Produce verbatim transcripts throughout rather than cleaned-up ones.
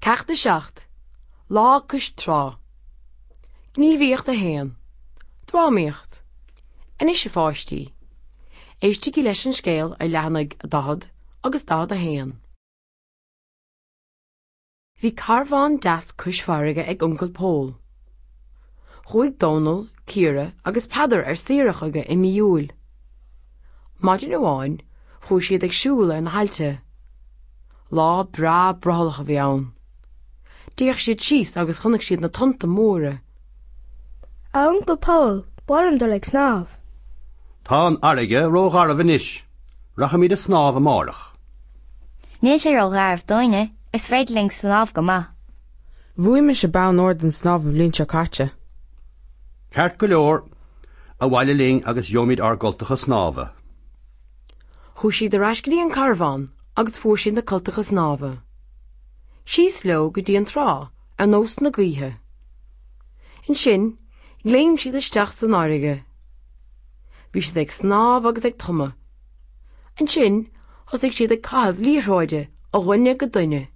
Ceacht a seacht, Lá cois trá. Gníomhaíocht a haon, Drámaíocht. Anois a pháistí, éistigí leis an scéal ar leathanaigh daichead agus daichead a haon. Bhí carbhán deas cois farraige ag Uncail Pól. Chuaigh Dónal, Ciara agus Peadar ar saoire chuige i mí Iúil. Maidin amháin, chuaigh siad ag siúl ar na haillte. Lá breá brothallach a bhí ann. D'fhéach siad síos agus chonaic siad na tonnta móra. A Uncail Pól, ba mhaith liom dul ag snámh. Tá an fharraige rógharbh anois, rachaimid ag snámh amárach. Níl sé rógharbh dúinne, is féidir linn snámh go maith. Bhuaigh mise bonn óir don snámh an bhliain seo caite. Ceart go leor, abhaile linn agus gheobhaimid ár gcultacha snámha. Chuaigh siad ar ais go dtí an carbhán agus fuair siad na cultacha snámha. Síos leo go dtí an trá ar nós na gaoithe. Ansin, léim siad isteach san fharraige. Bhí siad ag snámh agus ag tumadh. Ansin, thosaigh siad ag caitheamh liathróide ó dhuine go duine.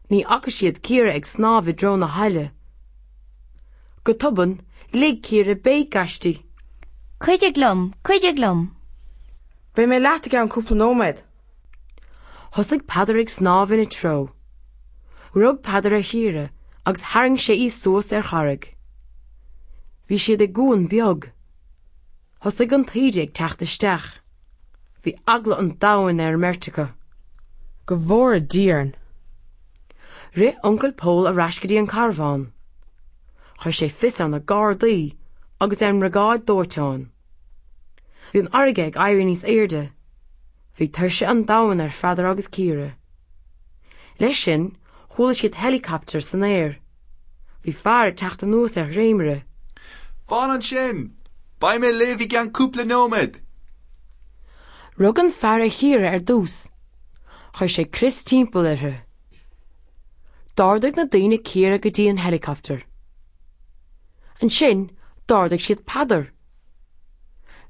Ní fhaca siad Ciara ag snámh i dtreo na haille. Go tobann, lig Ciara béic aisti. Cuidigh liom, cuidigh liom. Beidh mé leat i gceann cúpla nóiméad. Thosaigh Peadar ag snámh ina treo. Rug Peadar ar Chiara agus tharraing sé í suas ar charraig. Bhí siad i gcuan beag. Thosaigh an taoide ag teacht isteach. Bhí eagla an domhain ar an mbeirt acu. Go bhfóire Dia orainn. Rith Uncail Pól ar ais go dtí an carbhán. Chuir sé fios ar na gardaí agus ar an mbriogáid dóiteáin. Bhí an fharraige ag éirí níos airde. Bhí tuirse an domhain ar Pheadar agus Ciara. Leis sin, chuala siad helicopter san aer. Bhí fear ag teacht anuas ar dhréimire. Fan ansin! Beidh mé libh i gceann cúpla nóiméad! Rug an fear ar Chiara ar dtús. Chuir sé crios timpeall uirthi. D'ardaigh na daoine Ciara go dtí an helicopter. Ansin, d'ardaigh siad Peadar.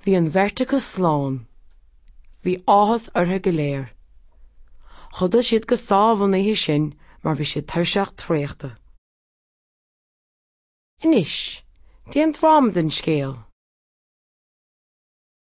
Bhí an bheirt acu slán. Bhí áthas orthu go léir. Chodail siad go sámh an oíche sin mar bhí siad tuirseach traochta. Anois, déan dráma den scéal.